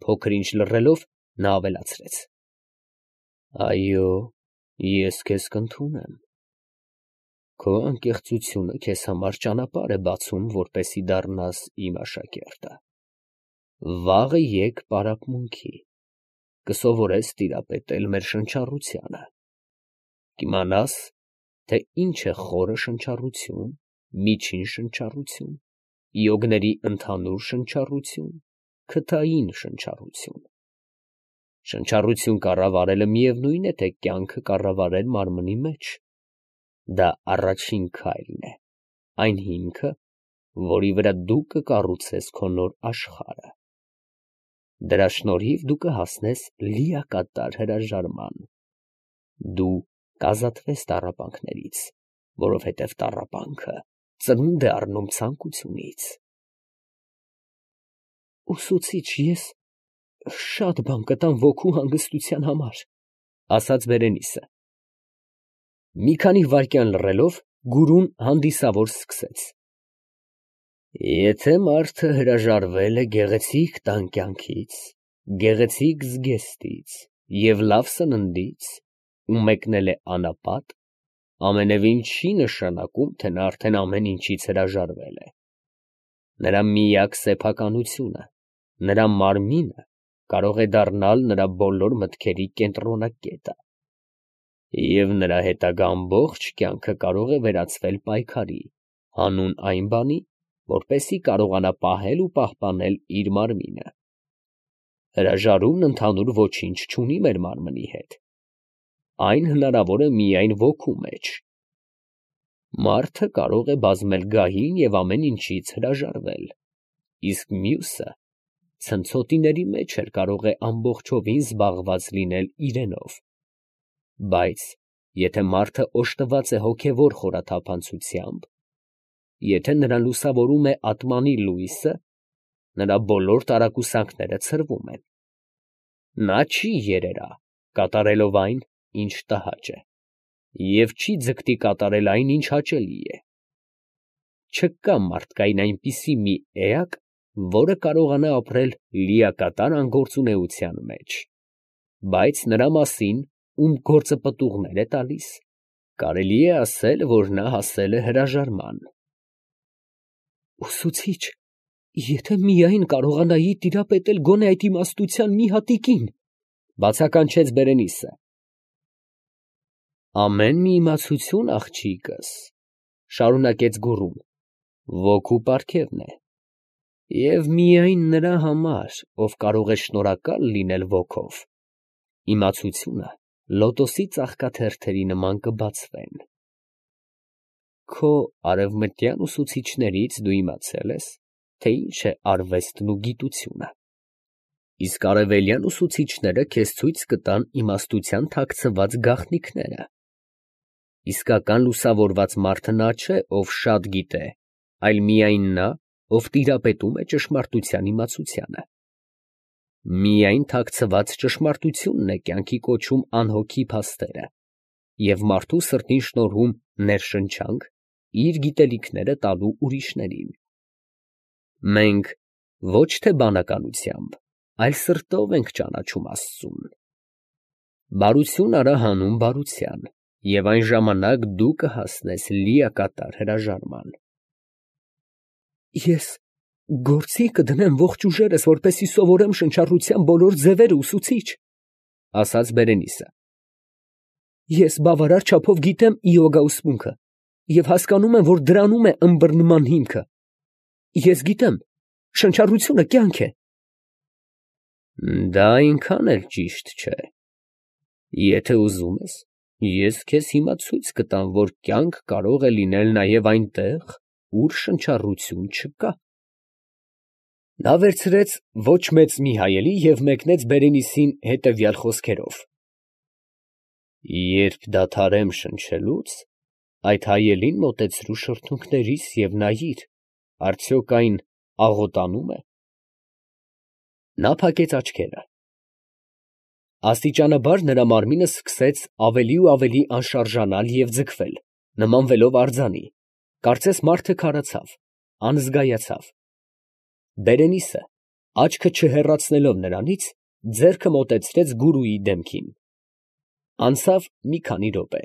փոքր ինչ լռելով, նա ավելացրեց. Այո, ես քեզ կընդունեմ։ Քո անկեղծությունը քեզ համար ճանապարհ է բացում, որպեսզի դառնաս իմ աշակերտը։ Վաղը եկ պարապմունքի, կսովորես տիրապետել մեր շնչառությանը, կիմանաս, թե ինչ է խորը շնչառություն, միջին շնչառություն, յոգների ընդհանուր շնչառություն, քթային շնչառություն։ Շնչառություն կառավարելը միևնույն է, թե կյանքը կառավարել մարմնի մեջ։ Դա առաջին քայլն է, այն հիմքը, որի վրա դու կկառուցես քո նոր աշխարհը։ Դրա շնորհիվ դու կհասնես լիակատար հրաժարման։ Դու կազատվես տառապանքներից, որովհետև տառապանքը ծնունդ է առնում ցանկությունից։ Ուսուցիչ, ես շատ բան կտամ ոգու հանգստության համար, ասաց Բերենիսը։ Մի քանի վայրկյան լռելով, գուրուն հանդիսավոր սկսեց. Եթե մարդը հրաժարվել է գեղեցիկ տան կյանքից, գեղեցիկ զգեստից և լավ սննդից ու մեկնել է անապատ, ամենևին չի նշանակում, թե նա արդեն ամեն ինչից հրաժարվել է։ Նրա միակ սեփականությունը, նրա մարմինը կարող է դառնալ նրա բոլոր մտքերի կենտրոնակետը, և նրա հետագա ամբողջ կյանքը կարող է վերածվել պայքարի, հանուն այն բանի, որպեսզի կարողանա պահել ու պահպանել իր մարմինը։ Հրաժարումն ընդհանուր ոչինչ չունի մեր մարմնի հետ։ Այն հնարավոր է միայն ոգու մեջ։ Մարդը կարող է բազմել գահին և ամեն ինչից հրաժարվել, իսկ մյուսը ցնցոտիների մեջ էլ կարող է ամբողջովին զբաղված լինել իրենով։ Բայց եթե մարդը օժտված է հոգևոր խորաթափանցությամբ, եթե նրան լուսավորում է ատմանի լույսը, նրա բոլոր տարակուսանքները ցրվում են։ Նա չի երերա, կատարելով այն, ինչ տհաճ է, և չի ձգտի կատարել այն, ինչ հաճելի է։ Չկա մարդկային այնպիսի մի էակ, որը կարողանա ապրել լիակատար անգործունեության մեջ, բայց նրա մասին, ում գործը պտուղներ է տալիս, կարելի է ասել, որ նա հասել է հրաժարման։ Ուսուցիչ, եթե միայն կարողանայի տիրապետել գոնե այդ իմաստության մի հատիկին, բացականչեց Բերենիսը։ Ամեն մի իմացություն, աղջիկս, շարունակեց գուրուն, ոգու պարգևն է, և միայն նրա համար, ով կարող է շնորհակալ լինել ոգով, իմացությունը լոտոսի ծաղկաթերթերի նման կբացվեն։ Քո արևմտյան ուսուցիչներից դու իմացել ես, թե ինչ է արվեստն ու գիտությունը, իսկ արևելյան ուսուցիչները քեզ ցույց կտան իմաստության թաքցված գաղտնիքները։ Իսկական լուսավորված մարդը նա չէ, ով շատ գիտե, այլ միայն նա, ով տիրապետում է ճշմարտության իմացությանը։ Միայն թաքցված ճշմարտությունն է կյանքի կոչում անհոգի փաստերը և մարդու սրտին շնորհում ներշնչանք իր գիտելիքները տալու ուրիշներին։ Մենք ոչ թե բանականությամբ, այլ սրտով ենք ճանաչում Աստծուն։ Բարություն արա հանուն բարության, և այն ժամանակ դու կհասնես լիակատար հրաժարման։ Ես գործի կդնեմ ողջ ուժերս, որպեսզի սովորեմ շնչառության բոլոր ձևերը, ուսուցիչ, ասաց Բերենիսը։ Ես բավարար չափով գիտեմ իոգա ուսմունքը և հասկանում եմ, որ դրանում է ըմբռնման հիմքը։ Ես գիտեմ, շնչառությունը կյանք է։ Դա այնքան էլ ճիշտ չէ։ Եթե ուզում ես, ես քեզ հիմա ցույց կտամ, որ կյանք կարող է լինել նաև այնտեղ, ուր շնչառություն չկա։ Նա վերցրեց ոչ մեծ մի հայելի և մեկնեց Բերենիսին հետևյալ խոսքերով. Երբ դադարեմ շնչելուց, այդ հայելին մոտեցրու շրթունքներիս և նայիր, արդյոք այն աղոտանում է։ Նա փակեց աչքերը։ Աստիճանաբար նրա մարմինը սկսեց ավելի ու ավելի անշարժանալ և ձգվել, նմանվելով արձանի, կարծես մարդը քարացավ, անզգայացավ։ Բերենիսը Աչքը չհեռացնելով նրանից, ձեռքը մոտեցրեց գուրուի դեմքին։ Անցավ մի քանի րոպե,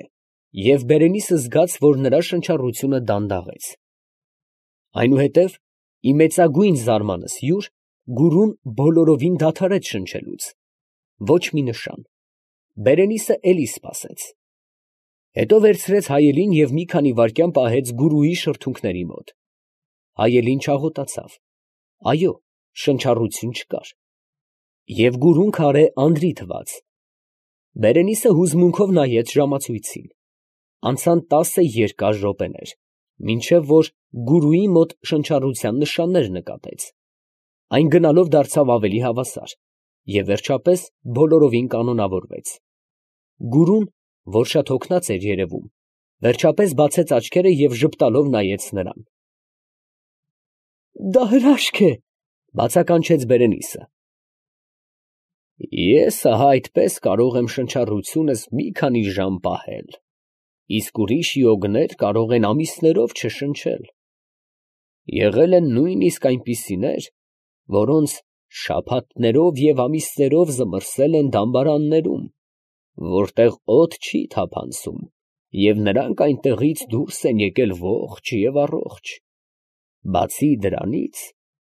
և Բերենիսը զգաց, որ նրա շնչառությունը դանդաղեց։ Այնուհետև, ի մեծագույն զարմանս յուր, գուրուն բոլորովին դադարեց շնչելուց. ոչ մի նշան։ Բերենիսը էլի սպասեց։ Հետո վերցրեց հայելին և մի քանի վայրկյան պահեց գուրուի շրթունքների մոտ։ Հայելին չաղոտացավ։ Այո, շնչառություն չկար։ Եվ գուրուն քարե անձրի թվաց։ Բերենիսը հուզմունքով նայեց ժամացույցին։ Անցան 10 երկար րոպեներ, մինչև որ գուրուի մոտ շնչառության նշաններ նկատեց։ Այն գնալով դարձավ ավելի հավասար և վերջապես բոլորովին կանոնավորվեց։ Գուրուն, որ շատ հոգնած էր երևում, վերջապես բացեց աչքերը և ժպտալով նայեց նրան։ «Դա հրաշք է», բացականչեց Բերենիսը։ «Ես ահա այդպես կարող եմ շնչառությունս մի քանի ժամ պահել, իսկ ուրիշ յոգներ կարող են ամիսներով չշնչել։ Եղել են նույնիսկ այնպիսիներ, որոնց շաբաթներով և ամիսներով զմռսել են դամբարաններում, որտեղ օդ չի թափանցում, և նրանք այնտեղից դուրս են եկել ողջ և առողջ։ Բացի դրանից,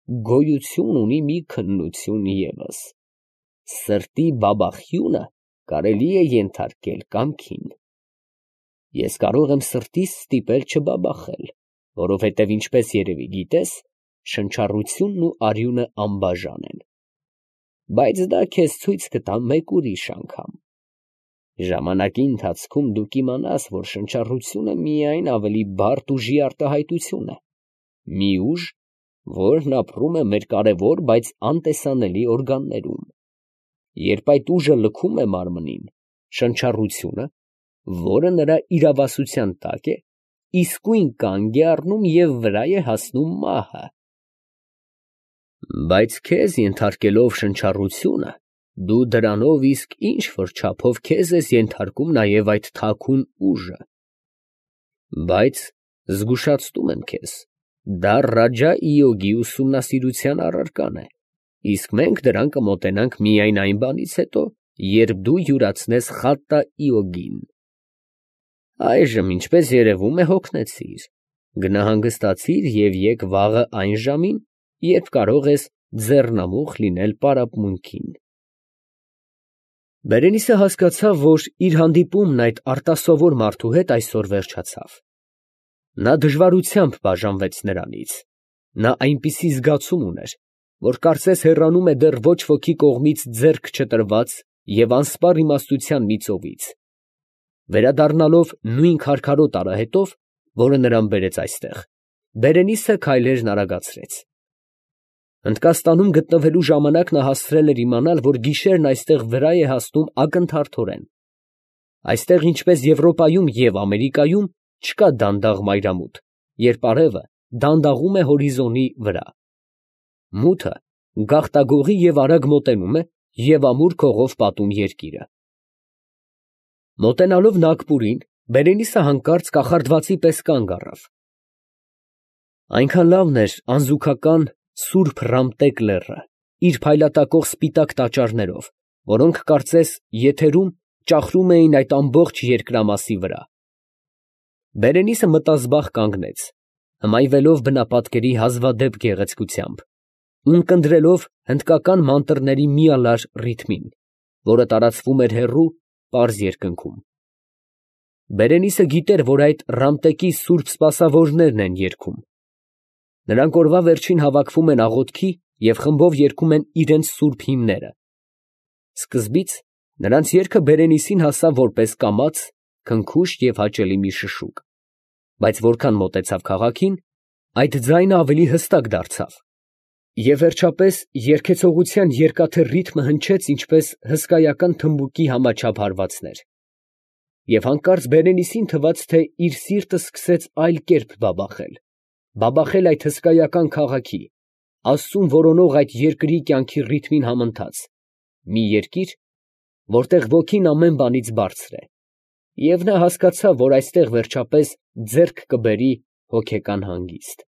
գոյություն ունի մի քննություն ևս. սրտի բաբախյունը կարելի է ենթարկել կամքին։ Ես կարող եմ սրտիս ստիպել չբաբախել, որովհետև, ինչպես երևի գիտես, շնչառությունն ու արյունը անբաժան են։ Բայց դա քեզ ցույց կտամ մեկ ուրիշ անգամ։ Ժամանակի ընթացքում դու կիմանաս, որ շնչառությունը միայն ավելի բարդ ուժի արտահայտություն է, մի ուժ, որն ապրում է մեր կարևոր, բայց անտեսանելի օրգաններում։ Երբ այդ ուժը լքում է մարմնին, շնչառությունը, որը նրա իրավասության տակ է, իսկույն կանգ է առնում և վրա է հասնում մահը։ Բայց քեզ ենթարկելով շնչառությունը, դու դրանով իսկ ինչ֊որ չափով քեզ ես ենթարկում նաև այդ թաքուն ուժը։ Բայց զգուշացնում եմ քեզ, դա Ռաջա֊ի ուսումնասիրության առարկան է, իսկ մենք դրան կմոտենանք միայն այն բանից հետո, երբ դու յուրացնես Խատտա֊իոգին։ Այժմ, ինչպես երևում է, հոգնեցիր։ Գնա հանգստացիր և եկ վաղը այն ժամին, երբ կարող ես ձեռնամուխ լինել պարապմունքին։ Բերենիսը հասկացավ, որ իր հանդիպումն այդ արտասովոր մարդու հետ այսօր վերջացավ։ Նա դժվարությամբ բաժանվեց նրանից։ Նա այնպիսի զգացում ուներ, որ կարծես հեռանում է դեռ ոչ ոքի կողմից ձեռք չտրված և անսպառ իմաստության մի ծովից։ Վերադառնալով նույն քարքարոտ արահետով, որը նրան բերեց այստեղ, Բերենիսը քայլերն արագացրեց։ Հնդկաստանում գտնվելու ժամանակ նա հասցրել էր իմանալ, որ գիշերն այստեղ վրա է հասնում ակնթարթորեն։ Այստեղ, ինչպես Եվրոպայում և Ամերիկայում, չկա դանդաղ մայրամուտ, երբ արևը դանդաղում է հորիզոնի վրա։ Մութը գաղտագողի և արագ մոտենում է և ամուր քողով պատում երկիրը։ Մոտենալով Նագպուրին, Բերենիսը հանկարծ կախարդվածի պես կանգ առավ։ Այնքան լավն էր անզուգական սուրբ Ռամտեկ լեռը, իր փայլատակող սպիտակ տաճարներով, որոնք կարծես եթերում ճախրում էին այդ ամբողջ երկրամասի վրա։ Բերենիսը մտազբաղ կանգնեց, հմայվելով բնապատկերի հազվադեպ գեղեցկությամբ, ունկնդրելով հնդկական մանտրների միալար ռիթմին, որը տարածվում էր հեռու, պարզ երկնքում։ Բերենիսը գիտեր, որ այդ Ռամտեկի սուրբ սպասավորներն են երգում։ Նրանք օրվա վերջին հավաքվում են աղոթքի և խմբով երգում են իրենց սուրբ հիմները։ Սկզբից նրանց երգը Բերենիսին հասավ որպես կամաց, քնքուշ և հաճելի մի շշուկ, բայց որքան մոտեցավ քաղաքին, այդ ձայնը ավելի հստակ դարձավ, և վերջապես երգեցողության երկաթե ռիթմը հնչեց ինչպես հսկայական թմբուկի համաչափ հարվածներ։ Եվ հանկարծ Բերենիսին թվաց, թե իր սիրտը սկսեց այլ կերպ բաբախել այդ հսկայական քաղաքի, աստծուն որոնող այդ երկրի կյանքի ռիթմին համընթաց, մի երկիր, որտեղ ոգին ամեն բանից բարձր է, և նա հասկացավ, որ այստեղ վերջապես ձեռք կբերի հոգեկան հանգիստ։